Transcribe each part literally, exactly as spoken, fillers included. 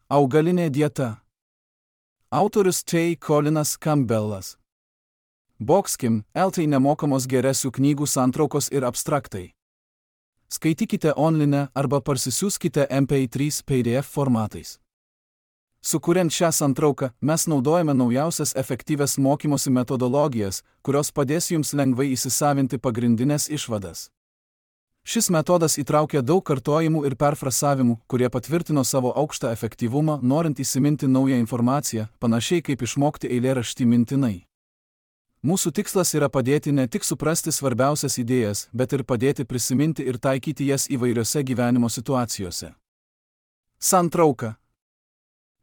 Augalinė dieta. Autorius T. Colinas Campbellas. Boxkim, L T nemokamos geresių knygų santraukos ir abstraktai. Skaitykite online arba parsisiųskite M P trys P D F formatais. Sukuriant šią santrauką, mes naudojame naujausias efektyvias mokymosi metodologijas, kurios padės jums lengvai įsisavinti pagrindinės išvadas. Šis metodas įtraukia daug kartojimų ir perfrasavimų, kurie patvirtino savo aukštą efektyvumą, norint įsiminti naują informaciją, panašiai kaip išmokti eilėraštį mintinai. Mūsų tikslas yra padėti ne tik suprasti svarbiausias idėjas, bet ir padėti prisiminti ir taikyti jas įvairiose gyvenimo situacijose. Santrauka.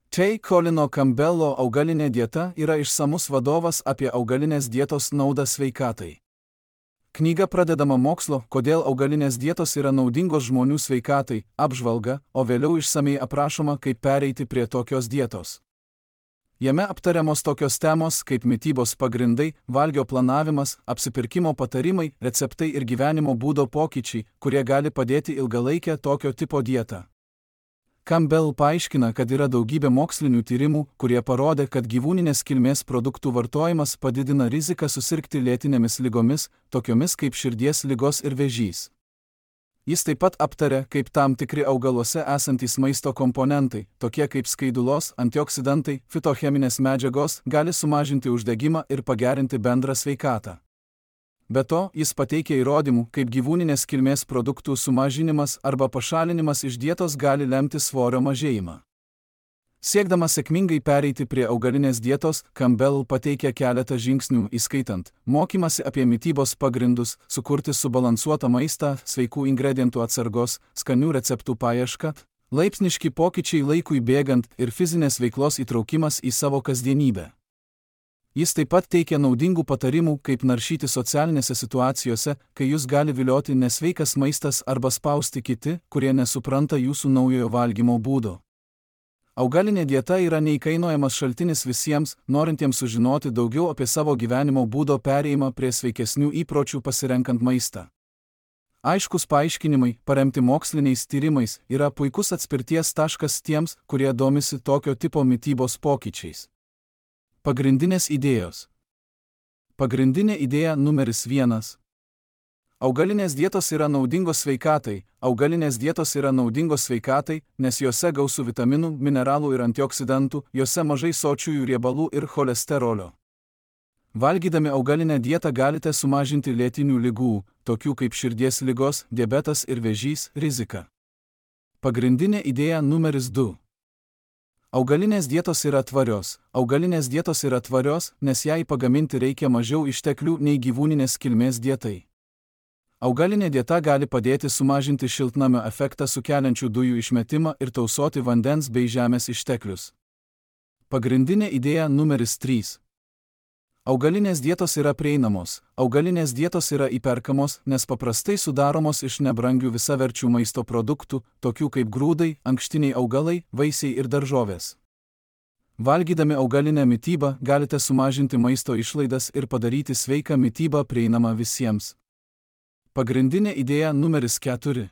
T. Colino Campbello augalinė dieta yra išsamus vadovas apie augalinės dietos naudą sveikatai. Knyga pradedama mokslo, kodėl augalinės dietos yra naudingos žmonių sveikatai, apžvalga, o vėliau išsamei aprašoma, kaip pereiti prie tokios dietos. Jame aptariamos tokios temos kaip mitybos pagrindai, valgio planavimas, apsipirkimo patarimai, receptai ir gyvenimo būdo pokyčiai, kurie gali padėti ilgalaikę tokio tipo dietą. Campbell paaiškina, kad yra daugybė mokslinių tyrimų, kurie parodė, kad gyvūninės kilmės produktų vartojimas padidina riziką susirgti lėtinėmis ligomis, tokiomis kaip širdies ligos ir vėžys. Jis taip pat aptarė, kaip tam tikri augaluose esantys maisto komponentai, tokie kaip skaidulos, antioksidantai, fitocheminės medžiagos, gali sumažinti uždegimą ir pagerinti bendrą sveikatą. Be to, jis pateikė įrodymų, kaip gyvūninės kilmės produktų sumažinimas arba pašalinimas iš dietos gali lemti svorio mažėjimą. Siekdamas sėkmingai pereiti prie augalinės dietos, Campbell pateikė keletą žingsnių, įskaitant mokymasi apie mitybos pagrindus, sukurti subalansuotą maistą, sveikų ingredientų atsargos, skanių receptų paiešką, laipsniški pokyčiai laikui bėgant ir fizinės veiklos įtraukimas į savo kasdienybę. Jis taip pat teikia naudingų patarimų, kaip naršyti socialinėse situacijose, kai jūs gali vilioti nesveikas maistas arba spausti kiti, kurie nesupranta jūsų naujojo valgymo būdo. Augalinė dieta yra neįkainojamas šaltinis visiems, norintiems sužinoti daugiau apie savo gyvenimo būdo perėjimą prie sveikesnių įpročių pasirenkant maistą. Aiškus paaiškinimai, paremti moksliniais tyrimais, yra puikus atspirties taškas tiems, kurie domisi tokio tipo mitybos pokyčiais. Pagrindinės idėjos. Pagrindinė idėja numeris vienas. Augalinės dietos yra naudingos sveikatai. Augalinės dietos yra naudingos sveikatai, nes jose gausu vitaminų, mineralų ir antioksidantų, jose mažai sočiųjų riebalų ir cholesterolio. Valgydami augalinę dietą galite sumažinti lėtinių ligų, tokių kaip širdies ligos, diabetas ir vėžys, riziką. Pagrindinė idėja numeris du. Augalinės dietos yra tvarios. Augalinės dietos yra tvarios, nes jai pagaminti reikia mažiau išteklių nei gyvūninės kilmės dietai. Augalinė dieta gali padėti sumažinti šiltnamio efektą sukeliančių dujų išmetimą ir tausoti vandens bei žemės išteklius. Pagrindinė idėja numeris trys. Augalinės dietos yra prieinamos. Augalinės dietos yra įperkamos, nes paprastai sudaromos iš nebrangių visaverčių maisto produktų, tokių kaip grūdai, ankštiniai augalai, vaisiai ir daržovės. Valgydami augalinę mitybą galite sumažinti maisto išlaidas ir padaryti sveiką mitybą prieinamą visiems. Pagrindinė idėja numeris keturi.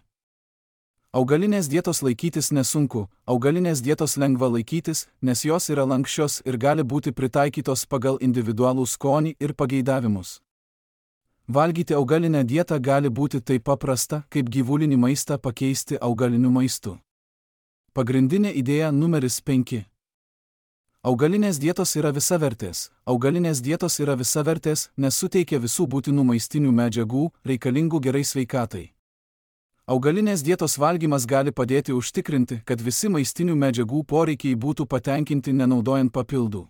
Augalinės dietos laikytis nesunku. Augalinės dietos lengva laikytis, nes jos yra lanksčios ir gali būti pritaikytos pagal individualų skonį ir pageidavimus. Valgyti augalinę dietą gali būti taip paprasta, kaip gyvulinį maistą pakeisti augaliniu maistu. Pagrindinė idėja numeris penki. Augalinės dietos yra visavertės. Augalinės dietos yra visavertės, nes suteikia visų būtinų maistinių medžiagų, reikalingų gerai sveikatai. Augalinės dietos valgymas gali padėti užtikrinti, kad visi maistinių medžiagų poreikiai būtų patenkinti nenaudojant papildų.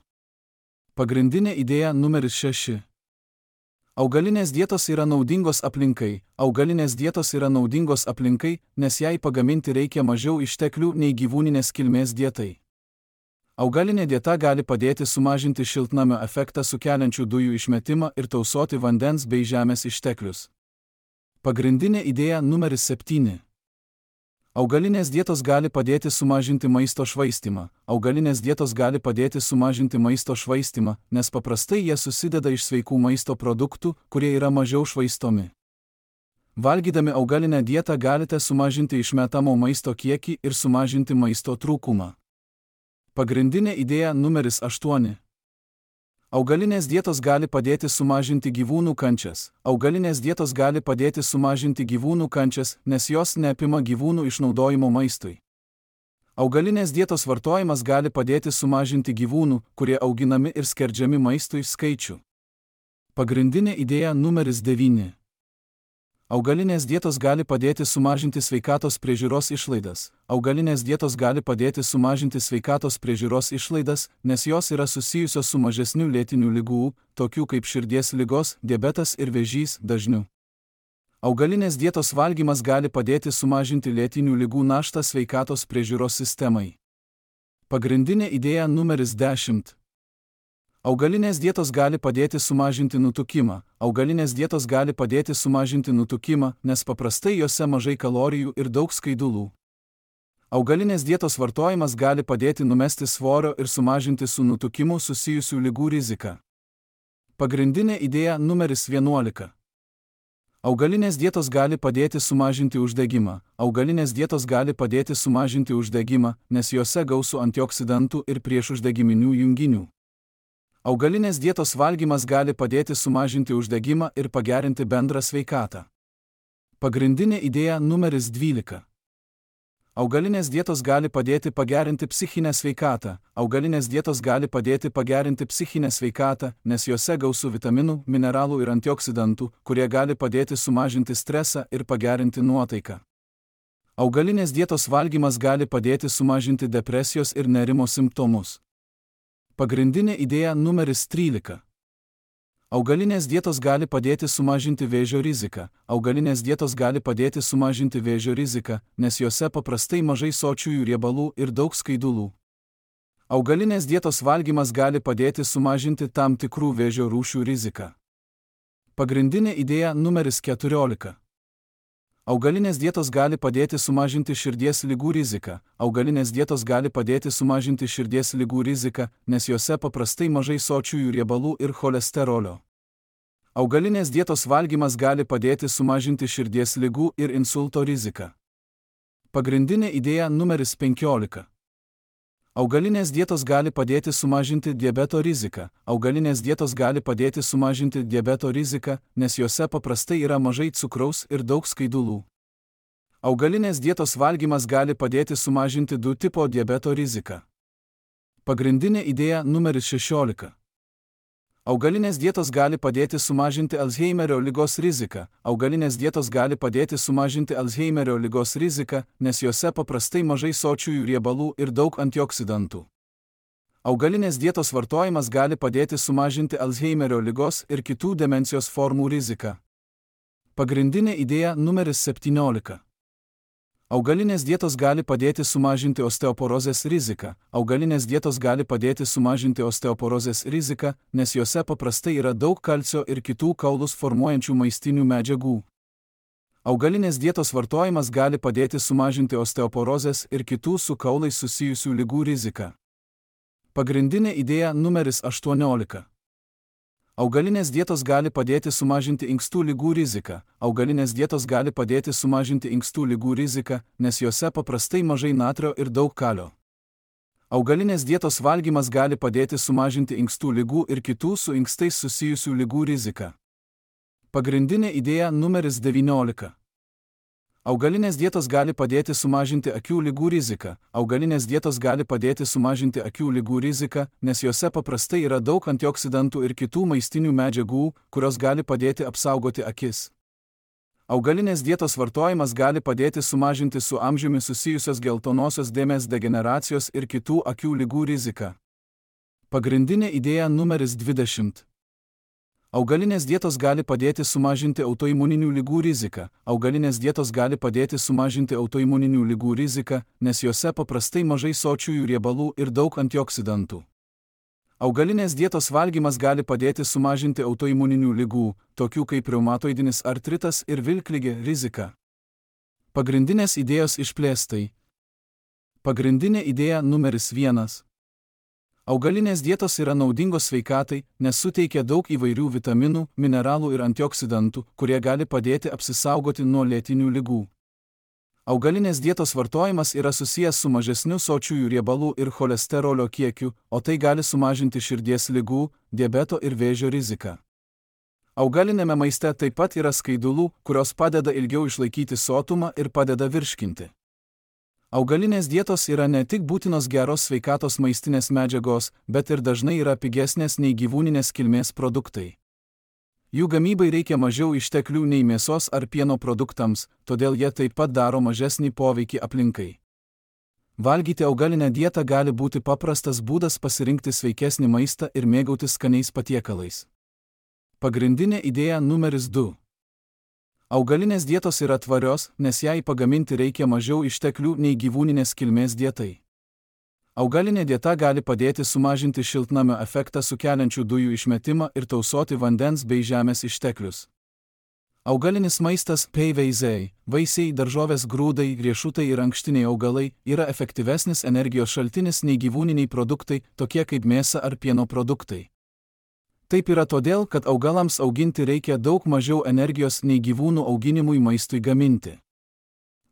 Pagrindinė idėja numeris šeši. Augalinės dietos yra naudingos aplinkai. Augalinės dietos yra naudingos aplinkai, nes jai pagaminti reikia mažiau išteklių nei gyvūninės kilmės dietai. Augalinė dieta gali padėti sumažinti šiltnamio efektą sukeliančių dujų išmetimą ir tausoti vandens bei žemės išteklius. Pagrindinė idėja numeris septyni. Augalinės dietos gali padėti sumažinti maisto švaistymą. Augalinės dietos gali padėti sumažinti maisto švaistymą, nes paprastai jie susideda iš sveikų maisto produktų, kurie yra mažiau švaistomi. Valgydami augalinę dietą galite sumažinti išmetamo maisto kiekį ir sumažinti maisto trūkumą. Pagrindinė idėja numeris aštuoni. Augalinės dietos gali padėti sumažinti gyvūnų kančias. Augalinės dietos gali padėti sumažinti gyvūnų kančias, nes jos neapima gyvūnų išnaudojimo maistui. Augalinės dietos vartojimas gali padėti sumažinti gyvūnų, kurie auginami ir skerdžiami maistui, skaičių. Pagrindinė idėja numeris devyni. Augalinės dietos gali padėti sumažinti sveikatos priežiūros išlaidas. Augalinės dietos gali padėti sumažinti sveikatos priežiūros išlaidas, nes jos yra susijusios su mažesniu lėtinių ligų, tokių kaip širdies ligos, diabetas ir vėžys, dažniu. Augalinės dietos valgymas gali padėti sumažinti lėtinių ligų naštą sveikatos priežiūros sistemai. Pagrindinė idėja numeris dešimt. Augalinės dietos gali padėti sumažinti nutukimą. Augalinės dietos gali padėti sumažinti nutukimą, nes paprastai jose mažai kalorijų ir daug skaidulų. Augalinės dietos vartojimas gali padėti numesti svorio ir sumažinti su nutukimu susijusių ligų riziką. Pagrindinė idėja numeris vienuolika. Augalinės dietos gali padėti sumažinti uždegimą. Augalinės dietos gali padėti sumažinti uždegimą, nes jose gausu antioksidantų ir priešuždegiminių junginių. Augalinės dietos valgymas gali padėti sumažinti uždegimą ir pagerinti bendrą sveikatą. Pagrindinė idėja numeris dvylika. Augalinės dietos gali padėti pagerinti psichinę sveikatą. Augalinės dietos gali padėti pagerinti psichinę sveikatą, nes jose gausu vitaminų, mineralų ir antioksidantų, kurie gali padėti sumažinti stresą ir pagerinti nuotaiką. Augalinės dietos valgymas gali padėti sumažinti depresijos ir nerimo simptomus. Pagrindinė idėja numeris trylika. Augalinės dietos gali padėti sumažinti vėžio riziką. Augalinės dietos gali padėti sumažinti vėžio riziką, nes jose paprastai mažai sočiųjų riebalų ir daug skaidulų. Augalinės dietos valgymas gali padėti sumažinti tam tikrų vėžio rūšių riziką. Pagrindinė idėja numeris keturiolika. Augalinės dietos gali padėti sumažinti širdies ligų riziką. Augalinės dietos gali padėti sumažinti širdies ligų riziką, nes jose paprastai mažai sočiųjų riebalų ir cholesterolio. Augalinės dietos valgymas gali padėti sumažinti širdies ligų ir insulto riziką. Pagrindinė idėja numeris penkiolika. Augalinės dietos gali padėti sumažinti diabeto riziką. Augalinės dietos gali padėti sumažinti diabeto riziką, nes jose paprastai yra mažai cukraus ir daug skaidulų. Augalinės dietos valgymas gali padėti sumažinti du tipo diabeto riziką. Pagrindinė idėja numeris šešiolika. Augalinės dietos gali padėti sumažinti Alzheimerio ligos riziką. Augalinės dietos gali padėti sumažinti Alzheimerio ligos riziką, nes jose paprastai mažai sočiųjų riebalų ir daug antioksidantų. Augalinės dietos vartojimas gali padėti sumažinti Alzheimerio ligos ir kitų demencijos formų riziką. Pagrindinė idėja numeris septyniolika. Augalinės dietos gali padėti sumažinti osteoporozės riziką. Augalinės dietos gali padėti sumažinti osteoporozės riziką, nes jose paprastai yra daug kalcio ir kitų kaulus formuojančių maistinių medžiagų. Augalinės dietos vartojimas gali padėti sumažinti osteoporozės ir kitų su kaulais susijusių ligų riziką. Pagrindinė idėja numeris aštuoniolika. Augalinės dietos gali padėti sumažinti inkstų ligų riziką. Augalinės dietos gali padėti sumažinti inkstų ligų riziką, nes jose paprastai mažai natrio ir daug kalio. Augalinės dietos valgymas gali padėti sumažinti inkstų ligų ir kitų su inkstais susijusių ligų riziką. Pagrindinė idėja numeris devyniolika. Augalinės dietos gali padėti sumažinti akių ligų riziką. Augalinės dietos gali padėti sumažinti akių ligų riziką, nes jose paprastai yra daug antioksidantų ir kitų maistinių medžiagų, kurios gali padėti apsaugoti akis. Augalinės dietos vartojimas gali padėti sumažinti su amžiumi susijusios geltonosios dėmės degeneracijos ir kitų akių ligų riziką. Pagrindinė idėja numeris dvidešimt. Augalinės dietos gali padėti sumažinti autoimuninių ligų riziką. Augalinės dietos gali padėti sumažinti autoimuninių ligų riziką, nes jose paprastai mažai sočiųjų riebalų ir daug antioksidantų. Augalinės dietos valgymas gali padėti sumažinti autoimuninių ligų, tokių kaip reumatoidinis artritas ir vilkligė, riziką. Pagrindinės idėjos išplėstai. Pagrindinė idėja numeris vienas. Augalinės dietos yra naudingos sveikatai, nes suteikia daug įvairių vitaminų, mineralų ir antioksidantų, kurie gali padėti apsisaugoti nuo lėtinių ligų. Augalinės dietos vartojimas yra susijęs su mažesniu sočiųjų riebalų ir cholesterolio kiekiu, o tai gali sumažinti širdies ligų, diabeto ir vėžio riziką. Augalinėme maiste taip pat yra skaidulų, kurios padeda ilgiau išlaikyti sotumą ir padeda virškinti. Augalinės dietos yra ne tik būtinos geros sveikatos maistinės medžiagos, bet ir dažnai yra pigesnės nei gyvūninės kilmės produktai. Jų gamybai reikia mažiau išteklių nei mėsos ar pieno produktams, todėl jie taip pat daro mažesnį poveikį aplinkai. Valgyti augalinę dietą gali būti paprastas būdas pasirinkti sveikesnį maistą ir mėgautis skaniais patiekalais. Pagrindinė idėja numeris du. Augalinės dietos yra tvarios, nes jai pagaminti reikia mažiau išteklių nei gyvūninės kilmės dietai. Augalinė dieta gali padėti sumažinti šiltnamio efektą sukeliančių dujų išmetimą ir tausoti vandens bei žemės išteklius. Augalinis maistas P V Z, vaisiai, daržovės, grūdai, riešutai ir ankštiniai augalai yra efektyvesnis energijos šaltinis nei gyvūniniai produktai, tokie kaip mėsa ar pieno produktai. Taip yra todėl, kad augalams auginti reikia daug mažiau energijos nei gyvūnų auginimui maistui gaminti.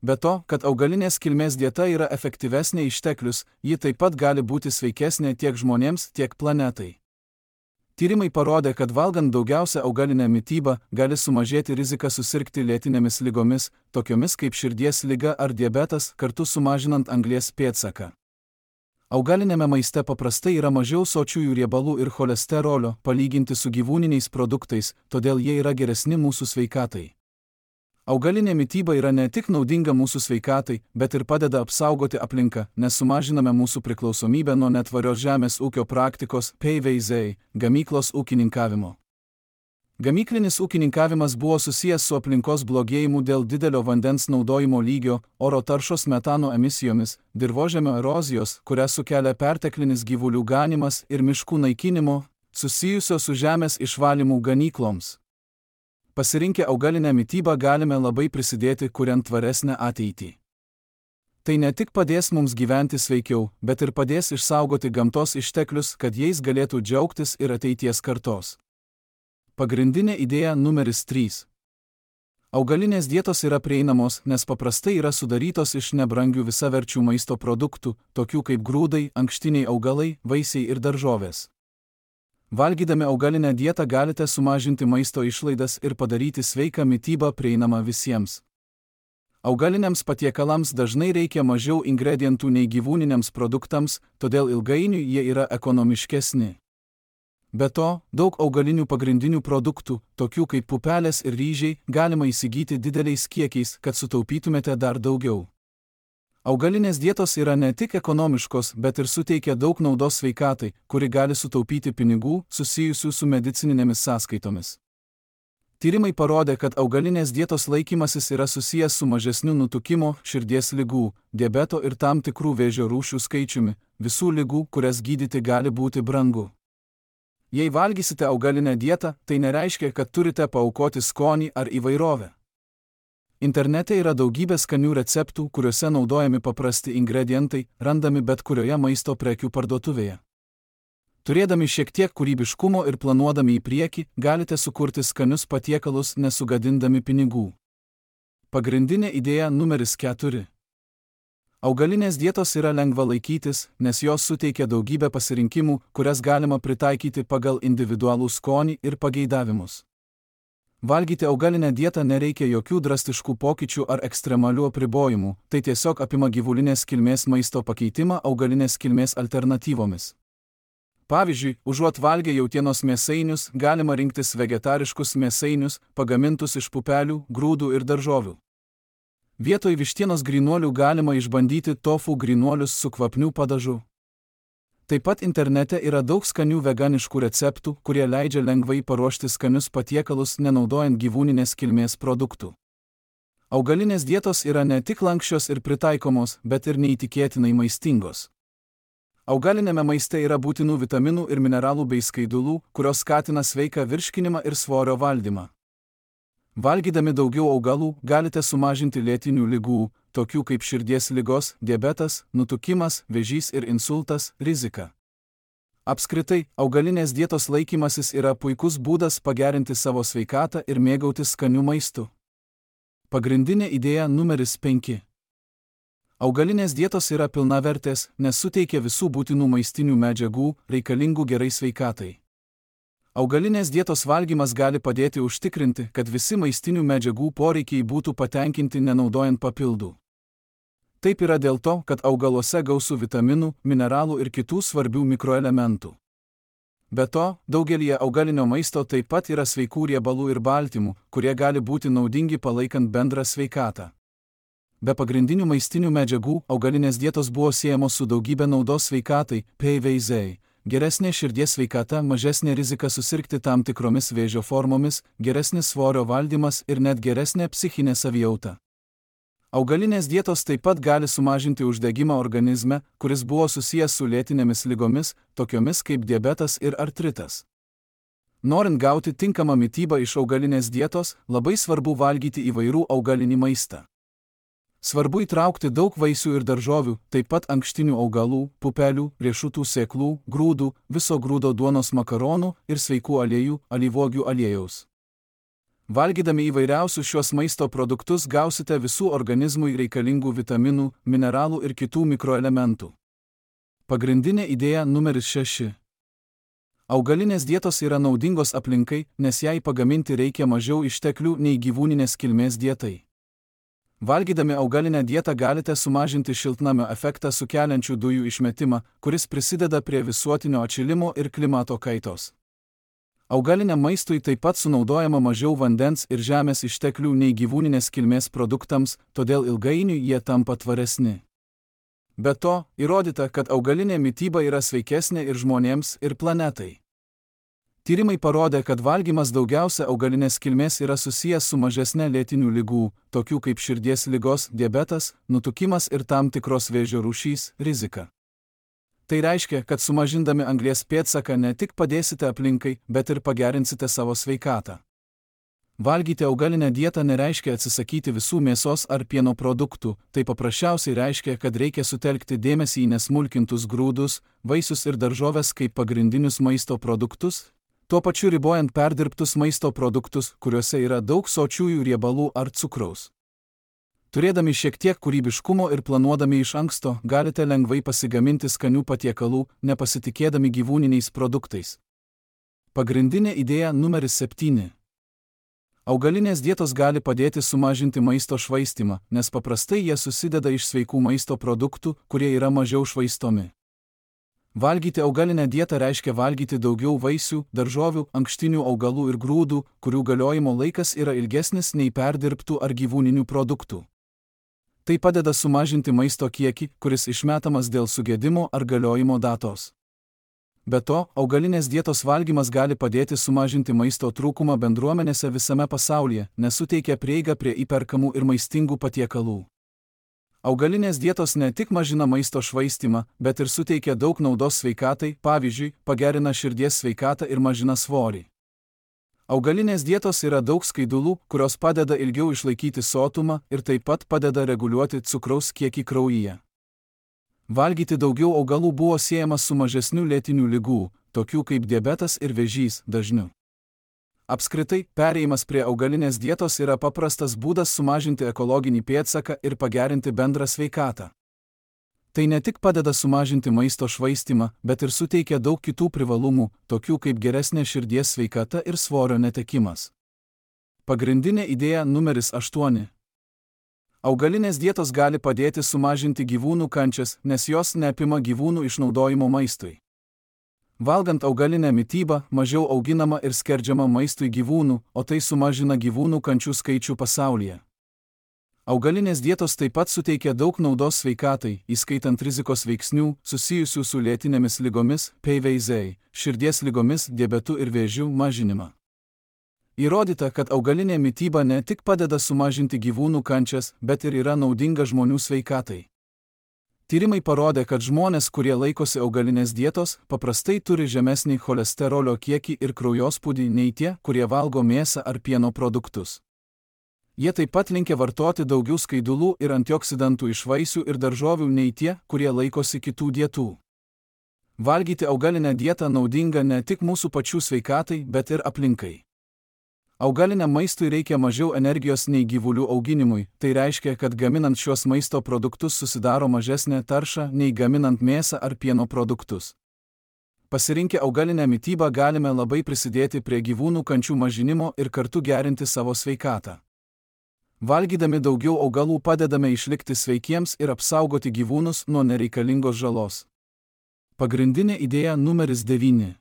Be to, kad augalinės kilmės dieta yra efektyvesnė išteklius, ji taip pat gali būti sveikesnė tiek žmonėms, tiek planetai. Tyrimai parodė, kad valgant daugiausia augalinę mitybą gali sumažėti rizika susirgti lėtinėmis ligomis, tokiomis kaip širdies liga ar diabetas, kartu sumažinant anglies pėdsaką. Augalinėme maiste paprastai yra mažiau sočiųjų riebalų ir cholesterolio, palyginti su gyvūniniais produktais, todėl jie yra geresni mūsų sveikatai. Augalinė mityba yra ne tik naudinga mūsų sveikatai, bet ir padeda apsaugoti aplinką, nes sumažiname mūsų priklausomybę nuo netvarios žemės ūkio praktikos P V Z, gamyklos ūkininkavimo. Gamyklinis ūkininkavimas buvo susijęs su aplinkos blogėjimu dėl didelio vandens naudojimo lygio, oro taršos metano emisijomis, dirvožemio erozijos, kurią sukelia perteklinis gyvulių ganimas ir miškų naikinimo, susijusio su žemės išvalymu ganykloms. Pasirinkę augalinę mitybą galime labai prisidėti, kuriant tvaresnę ateitį. Tai ne tik padės mums gyventi sveikiau, bet ir padės išsaugoti gamtos išteklius, kad jais galėtų džiaugtis ir ateities kartos. Pagrindinė idėja numeris trys. Augalinės dietos yra prieinamos, nes paprastai yra sudarytos iš nebrangių visaverčių maisto produktų, tokių kaip grūdai, ankštiniai augalai, vaisiai ir daržovės. Valgydami augalinę dietą galite sumažinti maisto išlaidas ir padaryti sveiką mitybą prieinamą visiems. Augaliniams patiekalams dažnai reikia mažiau ingredientų nei gyvūniniams produktams, todėl ilgainiui jie yra ekonomiškesni. Be to, daug augalinių pagrindinių produktų, tokių kaip pupelės ir ryžiai, galima įsigyti dideliais kiekiais, kad sutaupytumėte dar daugiau. Augalinės dietos yra ne tik ekonomiškos, bet ir suteikia daug naudos sveikatai, kuri gali sutaupyti pinigų susijusių su medicininėmis sąskaitomis. Tyrimai parodė, kad augalinės dietos laikymasis yra susijęs su mažesniu nutukimo, širdies ligų, diabeto ir tam tikrų vėžio rūšių skaičiumi, visų ligų, kurias gydyti gali būti brangu. Jei valgysite augalinę dietą, tai nereiškia, kad turite paaukoti skonį ar įvairovę. Internete yra daugybė skanių receptų, kuriuose naudojami paprasti ingredientai, randami bet kurioje maisto prekių parduotuvėje. Turėdami šiek tiek kūrybiškumo ir planuodami į priekį, galite sukurti skanius patiekalus nesugadindami pinigų. Pagrindinė idėja numeris keturi. Augalinės dietos yra lengva laikytis, nes jos suteikia daugybę pasirinkimų, kurias galima pritaikyti pagal individualų skonį ir pageidavimus. Valgyti augalinę dietą nereikia jokių drastiškų pokyčių ar ekstremalių apribojimų, tai tiesiog apima gyvulinės kilmės maisto pakeitimą augalinės kilmės alternatyvomis. Pavyzdžiui, užuot valgę jautienos mėsainius, galima rinktis vegetariškus mėsainius, pagamintus iš pupelių, grūdų ir daržovių. Vietoj vištienos grynuolių galima išbandyti tofu grynuolius su kvapniu padažu. Taip pat internete yra daug skanių veganiškų receptų, kurie leidžia lengvai paruošti skanius patiekalus nenaudojant gyvūninės kilmės produktų. Augalinės dietos yra ne tik lanksčios ir pritaikomos, bet ir neįtikėtinai maistingos. Augalinėme maiste yra būtinų vitaminų ir mineralų bei skaidulų, kurios skatina sveiką virškinimą ir svorio valdymą. Valgydami daugiau augalų galite sumažinti lėtinių ligų, tokių kaip širdies ligos, diabetas, nutukimas, vėžys ir insultas, riziką. Apskritai, augalinės dietos laikymasis yra puikus būdas pagerinti savo sveikatą ir mėgautis skaniu maistu. Pagrindinė idėja numeris penki. Augalinės dietos yra pilnavertės, nes suteikia visų būtinų maistinių medžiagų, reikalingų gerai sveikatai. Augalinės dietos valgymas gali padėti užtikrinti, kad visi maistinių medžiagų poreikiai būtų patenkinti nenaudojant papildų. Taip yra dėl to, kad augaluose gausu vitaminų, mineralų ir kitų svarbių mikroelementų. Be to, daugelįje augalinio maisto taip pat yra sveikų riebalų ir baltymų, kurie gali būti naudingi palaikant bendrą sveikatą. Be pagrindinių maistinių medžiagų, augalinės dietos buvo siejamos su daugybė naudos sveikatai, P V Z, geresnė širdies sveikata, mažesnė rizika susirgti tam tikromis vėžio formomis, geresnis svorio valdymas ir net geresnė psichinė savijauta. Augalinės dietos taip pat gali sumažinti uždegimą organizme, kuris buvo susijęs su lėtinėmis ligomis, tokiomis kaip diabetas ir artritas. Norint gauti tinkamą mitybą iš augalinės dietos, labai svarbu valgyti įvairų augalinį maistą. Svarbu įtraukti daug vaisių ir daržovių, taip pat ankštinių augalų, pupelių, riešutų sėklų, grūdų, viso grūdo duonos makaronų ir sveikų aliejų, alyvuogių aliejaus. Valgydami įvairiausius šios maisto produktus gausite visų organizmui reikalingų vitaminų, mineralų ir kitų mikroelementų. Pagrindinė idėja numeris šeši. Augalinės dietos yra naudingos aplinkai, nes jai pagaminti reikia mažiau išteklių nei gyvūninės kilmės dietai. Valgydami augalinę dietą galite sumažinti šiltnamio efektą sukeliančių dujų išmetimą, kuris prisideda prie visuotinio atšilimo ir klimato kaitos. Augaliniam maistui taip pat sunaudojama mažiau vandens ir žemės išteklių nei gyvūninės kilmės produktams, todėl ilgainiui jie tampa tvaresni. Be to, įrodyta, kad augalinė mityba yra sveikesnė ir žmonėms, ir planetai. Tyrimai parodė, kad valgymas daugiausia augalinės kilmės yra susijęs su mažesne lėtinių ligų, tokių kaip širdies ligos, diabetas, nutukimas ir tam tikros vėžio rūšys, rizika. Tai reiškia, kad sumažindami anglies pėdsaką ne tik padėsite aplinkai, bet ir pagerinsite savo sveikatą. Valgyti augalinę dietą nereiškia atsisakyti visų mėsos ar pieno produktų, tai paprasčiausiai reiškia, kad reikia sutelkti dėmesį į nesmulkintus grūdus, vaisius ir daržoves kaip pagrindinius maisto produktus, tuo pačiu ribojant perdirbtus maisto produktus, kuriuose yra daug sočiųjų riebalų ar cukraus. Turėdami šiek tiek kūrybiškumo ir planuodami iš anksto, galite lengvai pasigaminti skanių patiekalų, nepasitikėdami gyvūniniais produktais. Pagrindinė idėja numeris septyni. Augalinės dietos gali padėti sumažinti maisto švaistymą, nes paprastai jie susideda iš sveikų maisto produktų, kurie yra mažiau švaistomi. Valgyti augalinę dietą reiškia valgyti daugiau vaisių, daržovių, ankštinių augalų ir grūdų, kurių galiojimo laikas yra ilgesnis nei perdirbtų ar gyvūninių produktų. Tai padeda sumažinti maisto kiekį, kuris išmetamas dėl sugedimo ar galiojimo datos. Be to, augalinės dietos valgymas gali padėti sumažinti maisto trūkumą bendruomenėse visame pasaulyje, nes suteikia prieigą prie įperkamų ir maistingų patiekalų. Augalinės dietos ne tik mažina maisto švaistymą, bet ir suteikia daug naudos sveikatai, pavyzdžiui, pagerina širdies sveikatą ir mažina svorį. Augalinės dietos yra daug skaidulų, kurios padeda ilgiau išlaikyti sotumą ir taip pat padeda reguliuoti cukraus kiekį kraujyje. Valgyti daugiau augalų buvo siejamas su mažesniu lėtinių ligų, tokių kaip diabetas ir vėžys, dažniu. Apskritai, perėjimas prie augalinės dietos yra paprastas būdas sumažinti ekologinį pėdsaką ir pagerinti bendrą sveikatą. Tai ne tik padeda sumažinti maisto švaistymą, bet ir suteikia daug kitų privalumų, tokių kaip geresnė širdies sveikata ir svorio netekimas. Pagrindinė idėja numeris aštuoni. Augalinės dietos gali padėti sumažinti gyvūnų kančias, nes jos neapima gyvūnų išnaudojimo maistui. Valgant augalinę mitybą, mažiau auginama ir skerdžiama maistui gyvūnų, o tai sumažina gyvūnų kančių skaičių pasaulyje. Augalinės dietos taip pat suteikia daug naudos sveikatai, įskaitant rizikos veiksnių, susijusių su lėtinėmis ligomis, P V Z, širdies ligomis, diabetu ir vėžiu mažinimą. Įrodyta, kad augalinė mityba ne tik padeda sumažinti gyvūnų kančias, bet ir yra naudinga žmonių sveikatai. Tyrimai parodė, kad žmonės, kurie laikosi augalinės dietos, paprastai turi žemesnį cholesterolio kiekį ir kraujospūdį nei tie, kurie valgo mėsą ar pieno produktus. Jie taip pat linkę vartoti daugiau skaidulų ir antioksidantų iš vaisių ir daržovių nei tie, kurie laikosi kitų dietų. Valgyti augalinę dietą naudinga ne tik mūsų pačių sveikatai, bet ir aplinkai. Augaliniam maistui reikia mažiau energijos nei gyvulių auginimui, tai reiškia, kad gaminant šios maisto produktus susidaro mažesnė tarša nei gaminant mėsą ar pieno produktus. Pasirinkę augalinę mitybą galime labai prisidėti prie gyvūnų kančių mažinimo ir kartu gerinti savo sveikatą. Valgydami daugiau augalų padedame išlikti sveikiems ir apsaugoti gyvūnus nuo nereikalingos žalos. Pagrindinė idėja numeris devyni.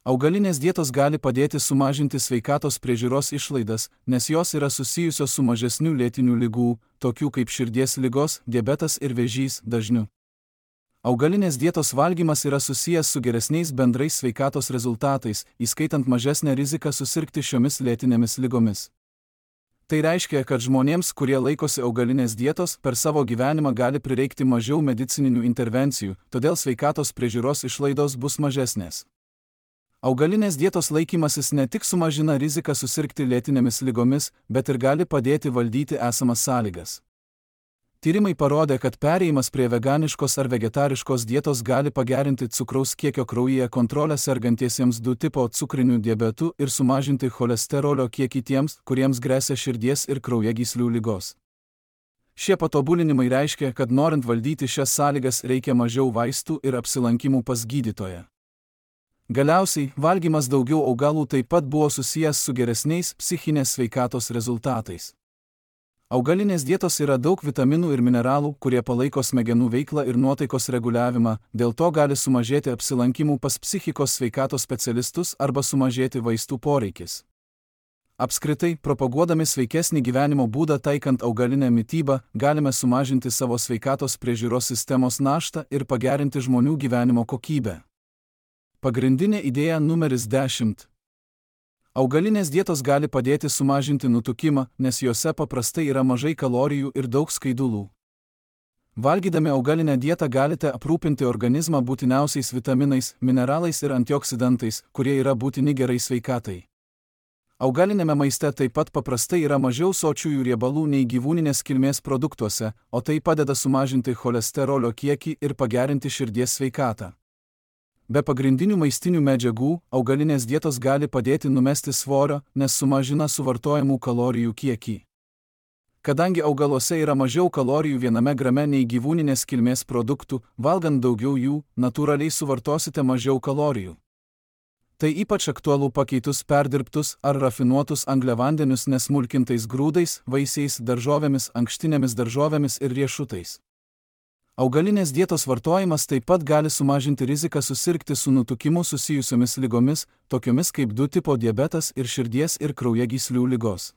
Augalinės dietos gali padėti sumažinti sveikatos priežiūros išlaidas, nes jos yra susijusios su mažesniu lėtinių ligų, tokių kaip širdies ligos, diabetas ir vėžys, dažniu. Augalinės dietos valgymas yra susijęs su geresniais bendrais sveikatos rezultatais, įskaitant mažesnę riziką susirgti šiomis lėtinėmis ligomis. Tai reiškia, kad žmonėms, kurie laikosi augalinės dietos, per savo gyvenimą gali prireikti mažiau medicininių intervencijų, todėl sveikatos priežiūros išlaidos bus mažesnės. Augalinės dietos laikymasis ne tik sumažina riziką susirgti lėtinėmis ligomis, bet ir gali padėti valdyti esamas sąlygas. Tyrimai parodė, kad perėjimas prie veganiškos ar vegetariškos dietos gali pagerinti cukraus kiekio kraujyje kontrolę sergantiesiems du tipo cukriniu diabetu ir sumažinti cholesterolio kiekį tiems, kuriems gresia širdies ir kraujagyslių ligos. Šie patobulinimai reiškia, kad norint valdyti šias sąlygas reikia mažiau vaistų ir apsilankimų pas gydytoją. Galiausiai, valgymas daugiau augalų taip pat buvo susijęs su geresniais psichinės sveikatos rezultatais. Augalinės dietos yra daug vitaminų ir mineralų, kurie palaiko smegenų veiklą ir nuotaikos reguliavimą, dėl to gali sumažėti apsilankimų pas psichikos sveikatos specialistus arba sumažėti vaistų poreikis. Apskritai, propaguodami sveikesnį gyvenimo būdą taikant augalinę mitybą, galime sumažinti savo sveikatos priežiūros sistemos naštą ir pagerinti žmonių gyvenimo kokybę. Pagrindinė idėja numeris dešimt. Augalinės dietos gali padėti sumažinti nutukimą, nes juose paprastai yra mažai kalorijų ir daug skaidulų. Valgydami augalinę dietą galite aprūpinti organizmą būtiniausiais vitaminais, mineralais ir antioksidantais, kurie yra būtini gerai sveikatai. Augalinėme maiste taip pat paprastai yra mažiau sočiųjų riebalų nei gyvūninės kilmės produktuose, o tai padeda sumažinti cholesterolio kiekį ir pagerinti širdies sveikatą. Be pagrindinių maistinių medžiagų, augalinės dietos gali padėti numesti svorio, nes sumažina suvartojamų kalorijų kiekį. Kadangi augaluose yra mažiau kalorijų viename grame nei gyvūninės kilmės produktų, valgant daugiau jų, natūraliai suvartosite mažiau kalorijų. Tai ypač aktualu pakeitus perdirbtus ar rafinuotus angliavandenius nesmulkintais grūdais, vaisiais, daržovėmis, ankštinėmis daržovėmis ir riešutais. Augalinės dietos vartojimas taip pat gali sumažinti riziką susirgti su nutukimu susijusiomis ligomis, tokiomis kaip du tipo diabetas ir širdies ir kraujagyslių ligos.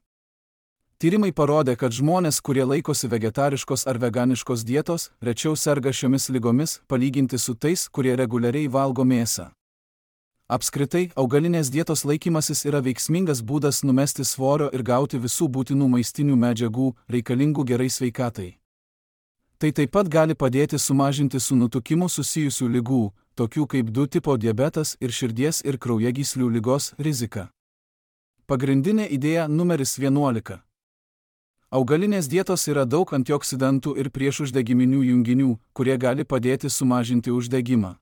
Tyrimai parodė, kad žmonės, kurie laikosi vegetariškos ar veganiškos dietos, rečiau serga šiomis ligomis, palyginti su tais, kurie reguliariai valgo mėsą. Apskritai, augalinės dietos laikymasis yra veiksmingas būdas numesti svorio ir gauti visų būtinų maistinių medžiagų, reikalingų gerai sveikatai. Tai taip pat gali padėti sumažinti su nutukimu susijusių ligų, tokių kaip du tipo diabetas ir širdies ir kraujagyslių ligos rizika. Pagrindinė idėja numeris vienuolika. Augalinės dietos yra daug antioksidantų ir priešuždegiminių junginių, kurie gali padėti sumažinti uždegimą.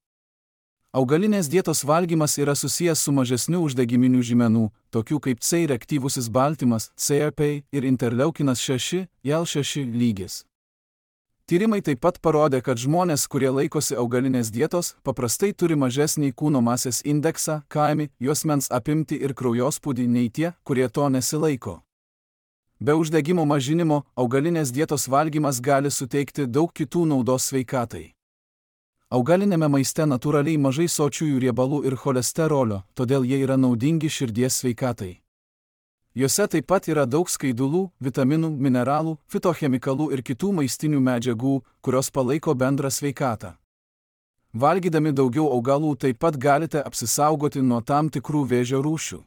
Augalinės dietos valgymas yra susijęs su mažesniu uždegiminių žymenų, tokių kaip C reaktyvusis baltymas, C R P ir interleukinas šeši, I L šeši lygis. Tyrimai taip pat parodė, kad žmonės, kurie laikosi augalinės dietos, paprastai turi mažesnį kūno masės indeksą, K M I, juosmens apimtį ir kraujospūdį nei tie, kurie to nesilaiko. Be uždegimo mažinimo, augalinės dietos valgymas gali suteikti daug kitų naudos sveikatai. Augalinėme maiste natūraliai mažai sočiųjų riebalų ir cholesterolio, todėl jie yra naudingi širdies sveikatai. Juose taip pat yra daug skaidulų, vitaminų, mineralų, fitochemikalų ir kitų maistinių medžiagų, kurios palaiko bendrą sveikatą. Valgydami daugiau augalų taip pat galite apsisaugoti nuo tam tikrų vėžio rūšių.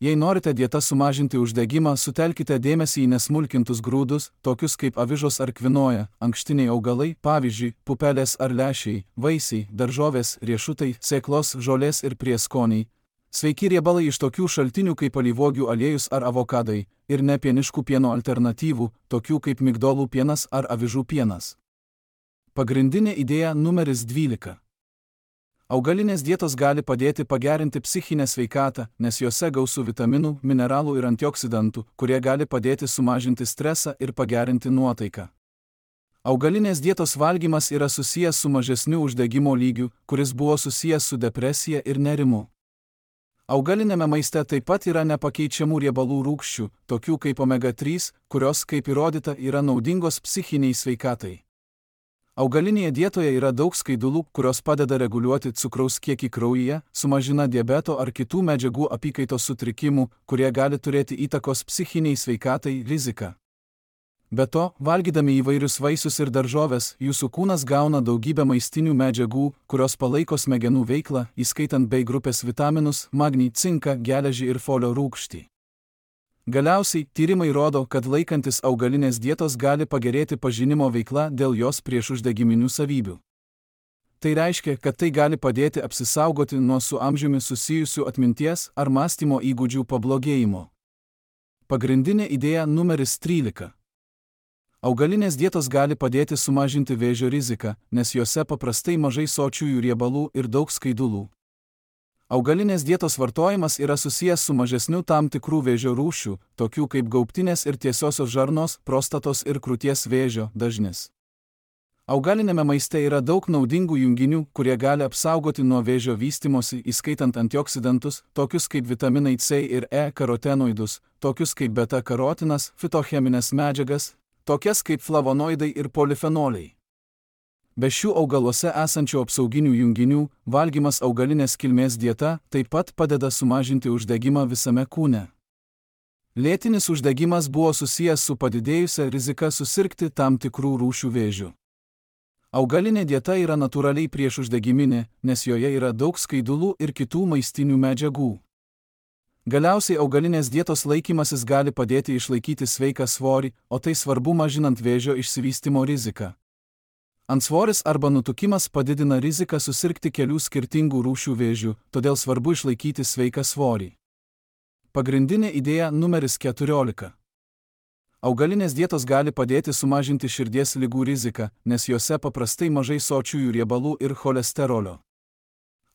Jei norite dieta sumažinti uždegimą, sutelkite dėmesį į nesmulkintus grūdus, tokius kaip avižos ar kvinoja, ankštiniai augalai, pavyzdžiui, pupelės ar lęšiai, vaisiai, daržovės, riešutai, sėklos, žolės ir prieskoniai. Sveiki riebalai iš tokių šaltinių kaip alyvuogių aliejus ar avokadai, ir nepieniškų pieno alternatyvų, tokių kaip migdolų pienas ar avižų pienas. Pagrindinė idėja numeris dvylika. Augalinės dietos gali padėti pagerinti psichinę sveikatą, nes jose gausu vitaminų, mineralų ir antioksidantų, kurie gali padėti sumažinti stresą ir pagerinti nuotaiką. Augalinės dietos valgymas yra susijęs su mažesniu uždegimo lygiu, kuris buvo susijęs su depresija ir nerimu. Augalinėme maiste taip pat yra nepakeičiamų riebalų rūgščių, tokių kaip omega trys, kurios, kaip įrodyta, yra naudingos psichiniai sveikatai. Augalinėje dietoje yra daug skaidulų, kurios padeda reguliuoti cukraus kiekį kraujyje, sumažina diabeto ar kitų medžiagų apykaitos sutrikimų, kurie gali turėti įtakos psichiniai sveikatai riziką. Be to, valgydami įvairius vaisius ir daržoves, jūsų kūnas gauna daugybę maistinių medžiagų, kurios palaiko smegenų veiklą, įskaitant bei grupės vitaminus, magnį, cinką, geležį ir folio rūgštį. Galiausiai, tyrimai rodo, kad laikantis augalinės dietos gali pagerėti pažinimo veikla dėl jos priešuždegiminių savybių. Tai reiškia, kad tai gali padėti apsisaugoti nuo su amžiumi susijusių atminties ar mąstymo įgūdžių pablogėjimo. Pagrindinė idėja numeris trylika. Augalinės dietos gali padėti sumažinti vėžio riziką, nes jose paprastai mažai sočiųjų riebalų ir daug skaidulų. Augalinės dietos vartojimas yra susijęs su mažesniu tam tikrų vėžio rūšių, tokių kaip gaubtinės ir tiesiosios žarnos, prostatos ir krūties vėžio dažnis. Augalinėme maiste yra daug naudingų junginių, kurie gali apsaugoti nuo vėžio vystimosi, įskaitant antioksidantus, tokius kaip vitaminai C ir E, karotenoidus, tokius kaip beta-karotinas, fitocheminės medžiagas, tokias kaip flavonoidai ir polifenoliai. Be šių augaluose esančių apsauginių junginių, valgymas augalinės kilmės dieta taip pat padeda sumažinti uždegimą visame kūne. Lėtinis uždegimas buvo susijęs su padidėjusia rizika susirgti tam tikrų rūšių vėžių. Augalinė dieta yra natūraliai priešuždegiminė, nes joje yra daug skaidulų ir kitų maistinių medžiagų. Galiausiai augalinės dietos laikymasis gali padėti išlaikyti sveiką svorį, o tai svarbu mažinant vėžio išsivystymo riziką. Antsvoris arba nutukimas padidina riziką susirgti kelių skirtingų rūšių vėžių, todėl svarbu išlaikyti sveiką svorį. Pagrindinė idėja numeris keturiolika. Augalinės dietos gali padėti sumažinti širdies ligų riziką, nes jose paprastai mažai sočiųjų riebalų ir cholesterolio.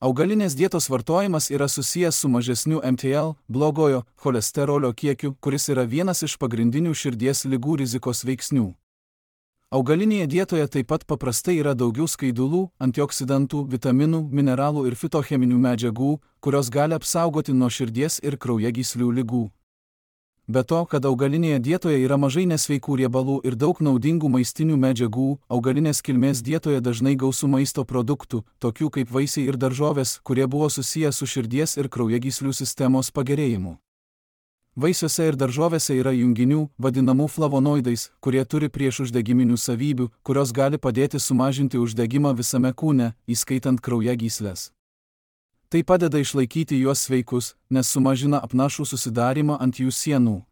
Augalinės dietos vartojimas yra susijęs su mažesniu M T L, blogojo cholesterolio kiekiu, kuris yra vienas iš pagrindinių širdies ligų rizikos veiksnių. Augalinėje dietoje taip pat paprastai yra daugiau skaidulų, antioksidantų, vitaminų, mineralų ir fitocheminių medžiagų, kurios gali apsaugoti nuo širdies ir kraujagyslių ligų. Be to, kad augalinėje dietoje yra mažai nesveikų riebalų ir daug naudingų maistinių medžiagų, augalinės kilmės dietoje dažnai gausu maisto produktų, tokių kaip vaisiai ir daržovės, kurie buvo susiję su širdies ir kraujagyslių sistemos pagerėjimu. Vaisiuose ir daržovėse yra junginių, vadinamų flavonoidais, kurie turi priešuždegiminių savybių, kurios gali padėti sumažinti uždegimą visame kūne, įskaitant kraujagysles. Tai padeda išlaikyti juos sveikus, nes sumažina apnašų susidarimą ant jų sienų.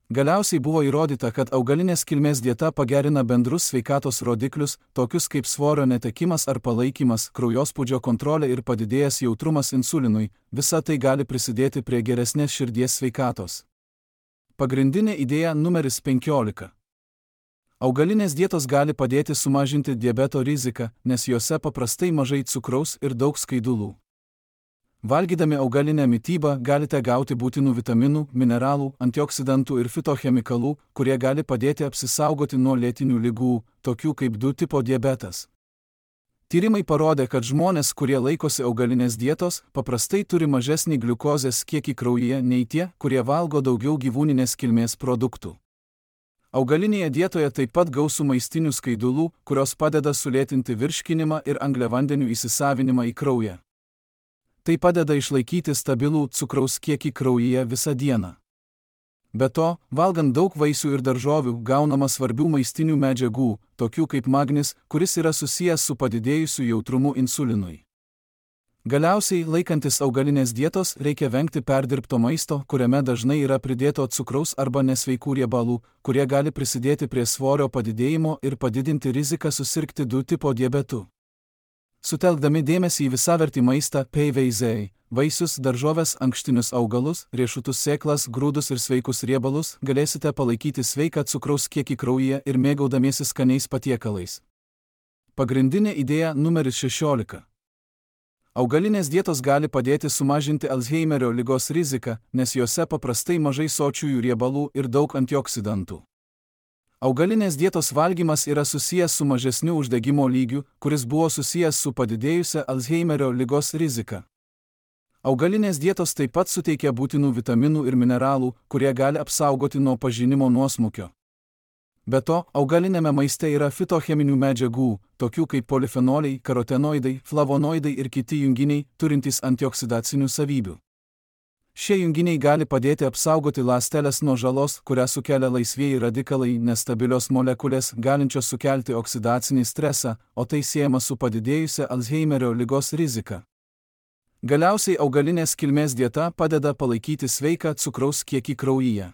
Galiausiai buvo įrodyta, kad augalinės kilmės dieta pagerina bendrus sveikatos rodiklius, tokius kaip svorio netekimas ar palaikymas, kraujospūdžio kontrolė ir padidėjęs jautrumas insulinui, visa tai gali prisidėti prie geresnės širdies sveikatos. Pagrindinė idėja numeris penkiolika. Augalinės dietos gali padėti sumažinti diabeto riziką, nes jose paprastai mažai cukraus ir daug skaidulų. Valgydami augalinę mitybą galite gauti būtinų vitaminų, mineralų, antioksidantų ir fitochemikalų, kurie gali padėti apsisaugoti nuo lėtinių ligų, tokių kaip du tipo diabetas. Tyrimai parodė, kad žmonės, kurie laikosi augalinės dietos, paprastai turi mažesnį gliukozės kiekį kraujyje nei tie, kurie valgo daugiau gyvūninės kilmės produktų. Augalinėje dietoje taip pat gausu maistinių skaidulų, kurios padeda sulėtinti virškinimą ir angliavandenių įsisavinimą į kraują. Tai padeda išlaikyti stabilų cukraus kiekį kraujyje visą dieną. Be to, valgant daug vaisių ir daržovių gaunama svarbių maistinių medžiagų, tokių kaip magnis, kuris yra susijęs su padidėjusiu jautrumu insulinui. Galiausiai, laikantis augalinės dietos, reikia vengti perdirbto maisto, kuriame dažnai yra pridėto cukraus arba nesveikų riebalų, kurie gali prisidėti prie svorio padidėjimo ir padidinti riziką susirgti du tipo diabetu. Sutelkdami dėmesį į visavertį maistą, P V Z, vaisius, daržoves, ankštinius augalus, riešutus, sėklas, grūdus ir sveikus riebalus, galėsite palaikyti sveiką cukraus kiekį kraujyje ir mėgaudamiesi skaniais patiekalais. Pagrindinė idėja numeris šešiolika. Augalinės dietos gali padėti sumažinti Alzheimerio ligos riziką, nes jose paprastai mažai sočiųjų riebalų ir daug antioksidantų. Augalinės dietos valgymas yra susijęs su mažesniu uždegimo lygiu, kuris buvo susijęs su padidėjusia Alzheimerio ligos rizika. Augalinės dietos taip pat suteikia būtinų vitaminų ir mineralų, kurie gali apsaugoti nuo pažinimo nuosmukio. Be to, augalinėme maiste yra fitocheminių medžiagų, tokių kaip polifenoliai, karotenoidai, flavonoidai ir kiti junginiai, turintys antioksidacinių savybių. Šie junginiai gali padėti apsaugoti ląsteles nuo žalos, kurią sukelia laisvieji radikalai, nestabilios molekulės, galinčios sukelti oksidacinį stresą, o tai siejama su padidėjusia Alzheimerio ligos rizika. Galiausiai augalinės kilmės dieta padeda palaikyti sveiką cukraus kiekį kraujyje.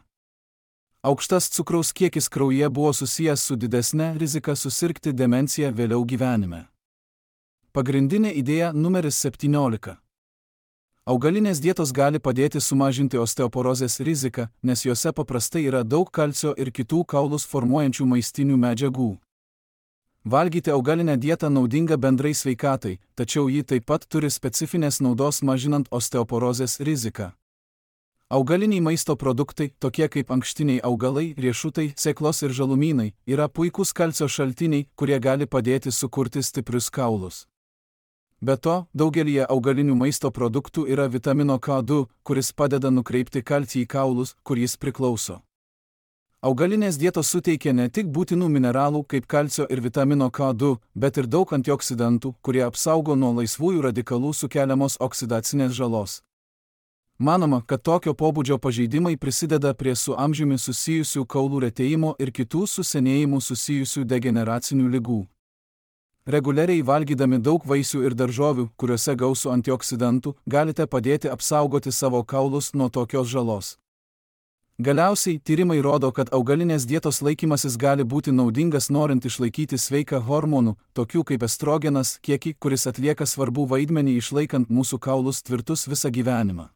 Aukštas cukraus kiekis kraujyje buvo susijęs su didesne rizika susirgti demencija vėliau gyvenime. Pagrindinė idėja numeris septyniolika. Augalinės dietos gali padėti sumažinti osteoporozės riziką, nes jose paprastai yra daug kalcio ir kitų kaulus formuojančių maistinių medžiagų. Valgyti augalinę dietą naudinga bendrai sveikatai, tačiau ji taip pat turi specifinės naudos mažinant osteoporozės riziką. Augaliniai maisto produktai, tokie kaip ankštiniai augalai, riešutai, sėklos ir žalumynai, yra puikūs kalcio šaltiniai, kurie gali padėti sukurti stiprius kaulus. Be to, daugelyje augalinių maisto produktų yra vitamino K du, kuris padeda nukreipti kalcį į kaulus, kur jis priklauso. Augalinės dietos suteikia ne tik būtinų mineralų kaip kalcio ir vitamino K du, bet ir daug antioksidantų, kurie apsaugo nuo laisvųjų radikalų sukeliamos oksidacinės žalos. Manoma, kad tokio pobūdžio pažeidimai prisideda prie su amžiumi susijusių kaulų retėjimo ir kitų su senėjimu susijusių degeneracinių ligų. Reguliariai valgydami daug vaisių ir daržovių, kuriuose gausu antioksidantų, galite padėti apsaugoti savo kaulus nuo tokios žalos. Galiausiai, tyrimai rodo, kad augalinės dietos laikymasis gali būti naudingas norint išlaikyti sveiką hormonų, tokių kaip estrogenas, kiekį, kuris atlieka svarbų vaidmenį išlaikant mūsų kaulus tvirtus visą gyvenimą.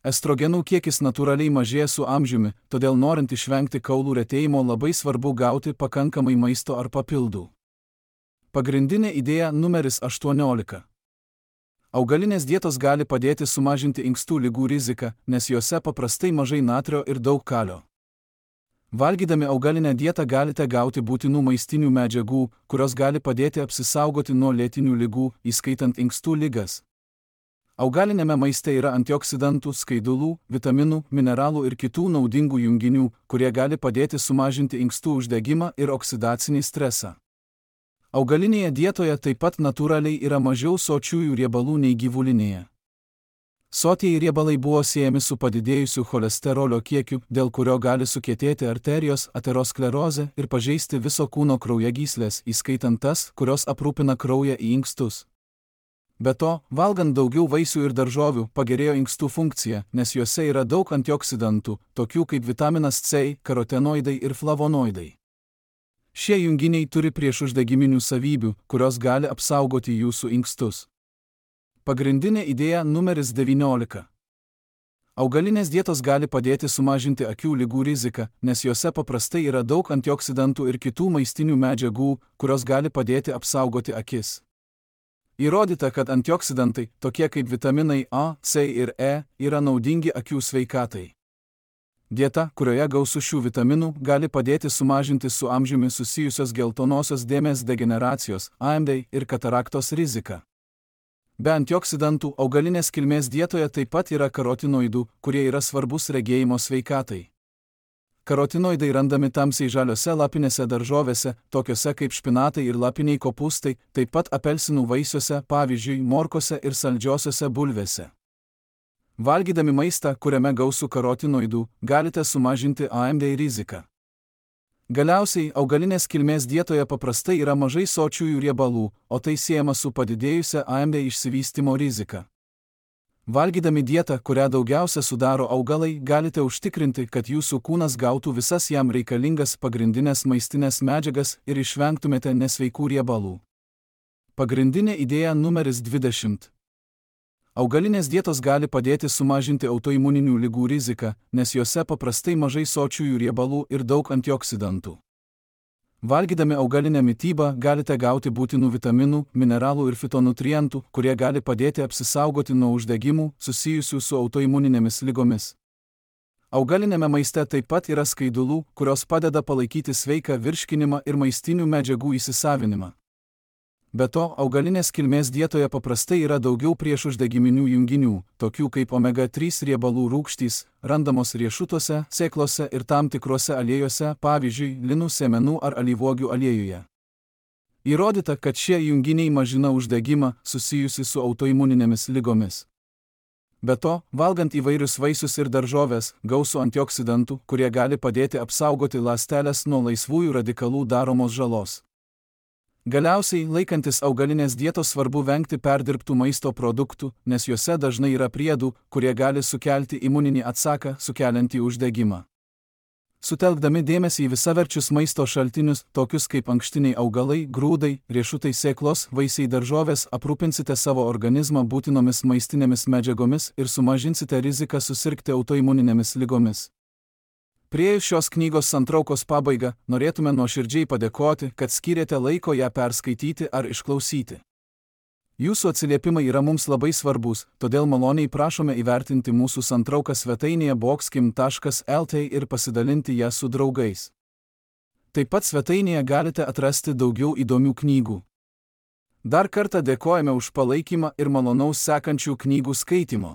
Estrogenų kiekis natūraliai mažėja su amžiumi, todėl norint išvengti kaulų retėjimo labai svarbu gauti pakankamai maisto ar papildų. Pagrindinė idėja numeris aštuoniolika. Augalinės dietos gali padėti sumažinti inkstų ligų riziką, nes jose paprastai mažai natrio ir daug kalio. Valgydami augalinę dietą galite gauti būtinų maistinių medžiagų, kurios gali padėti apsisaugoti nuo lėtinių ligų, įskaitant inkstų ligas. Augalinėme maiste yra antioksidantų, skaidulų, vitaminų, mineralų ir kitų naudingų junginių, kurie gali padėti sumažinti inkstų uždegimą ir oksidacinį stresą. Augalinėje dietoje taip pat natūraliai yra mažiau sočiųjų riebalų nei gyvulinėje. Sotieji riebalai buvo siejami su padidėjusiu cholesterolio kiekiu, dėl kurio gali sukietėti arterijos, aterosklerozė ir pažeisti viso kūno kraujagyslės, įskaitant tas, kurios aprūpina kraują į inkstus. Be to, valgant daugiau vaisių ir daržovių, pagerėjo inkstų funkcija, nes juose yra daug antioksidantų, tokių kaip vitaminas C, karotenoidai ir flavonoidai. Šie junginiai turi priešuždegiminių savybių, kurios gali apsaugoti jūsų inkstus. Pagrindinė idėja numeris devyniolika. Augalinės dietos gali padėti sumažinti akių ligų riziką, nes jose paprastai yra daug antioksidantų ir kitų maistinių medžiagų, kurios gali padėti apsaugoti akis. Įrodyta, kad antioksidantai, tokie kaip vitaminai A, C ir E, yra naudingi akių sveikatai. Dieta, kurioje gausu šių vitaminų, gali padėti sumažinti su amžiumi susijusios geltonosios dėmės degeneracijos, A M D ir kataraktos riziką. Be antioksidantų, augalinės kilmės dietoje taip pat yra karotinoidų, kurie yra svarbus regėjimo sveikatai. Karotinoidai randami tamsiai žaliose lapinėse daržovėse, tokiose kaip špinatai ir lapiniai kopūstai, taip pat apelsinų vaisiuose, pavyzdžiui, morkose ir saldžiosiose bulvėse. Valgydami maistą, kuriame gausu karotinoidų, galite sumažinti A M D riziką. Galiausiai, augalinės kilmės dietoje paprastai yra mažai sočiųjų riebalų, o tai siejama su padidėjusia A M D išsivystymo rizika. Valgydami dietą, kurią daugiausia sudaro augalai, galite užtikrinti, kad jūsų kūnas gautų visas jam reikalingas pagrindinės maistinės medžiagas ir išvengtumėte nesveikų riebalų. Pagrindinė idėja numeris dvidešimt. Augalinės dietos gali padėti sumažinti autoimuninių ligų riziką, nes jose paprastai mažai sočiųjų riebalų ir daug antioksidantų. Valgydami augalinę mitybą galite gauti būtinų vitaminų, mineralų ir fitonutrientų, kurie gali padėti apsisaugoti nuo uždegimų susijusių su autoimuninėmis ligomis. Augalinėme maiste taip pat yra skaidulų, kurios padeda palaikyti sveiką virškinimą ir maistinių medžiagų įsisavinimą. Be to, augalinės kilmės dietoje paprastai yra daugiau priešuždegiminių junginių, tokių kaip omega trys riebalų rūgštys, randamos riešutuose, sėklose ir tam tikruose aliejuose, pavyzdžiui, linų sėmenų ar alyvuogių aliejuje. Įrodyta, kad šie junginiai mažina uždegimą susijusi su autoimuninėmis ligomis. Be to, valgant įvairius vaisius ir daržoves, gausu antioksidantų, kurie gali padėti apsaugoti ląsteles nuo laisvųjų radikalų daromos žalos. Galiausiai, laikantis augalinės dietos svarbu vengti perdirbtų maisto produktų, nes juose dažnai yra priedų, kurie gali sukelti imuninį atsaką, sukeliantį uždegimą. Sutelkdami dėmesį į visaverčius maisto šaltinius, tokius kaip ankštiniai augalai, grūdai, riešutai, sėklos, vaisiai, daržovės, aprūpinsite savo organizmą būtinomis maistinėmis medžiagomis ir sumažinsite riziką susirgti autoimuninėmis ligomis. Priėjus šios knygos santraukos pabaigą, norėtume nuoširdžiai padėkoti, kad skyrėte laiko ją perskaityti ar išklausyti. Jūsų atsiliepimai yra mums labai svarbus, todėl maloniai prašome įvertinti mūsų santrauką svetainėje boxkim taškas lt ir pasidalinti ją su draugais. Taip pat svetainėje galite atrasti daugiau įdomių knygų. Dar kartą dėkojame už palaikymą ir malonaus sekančių knygų skaitymo.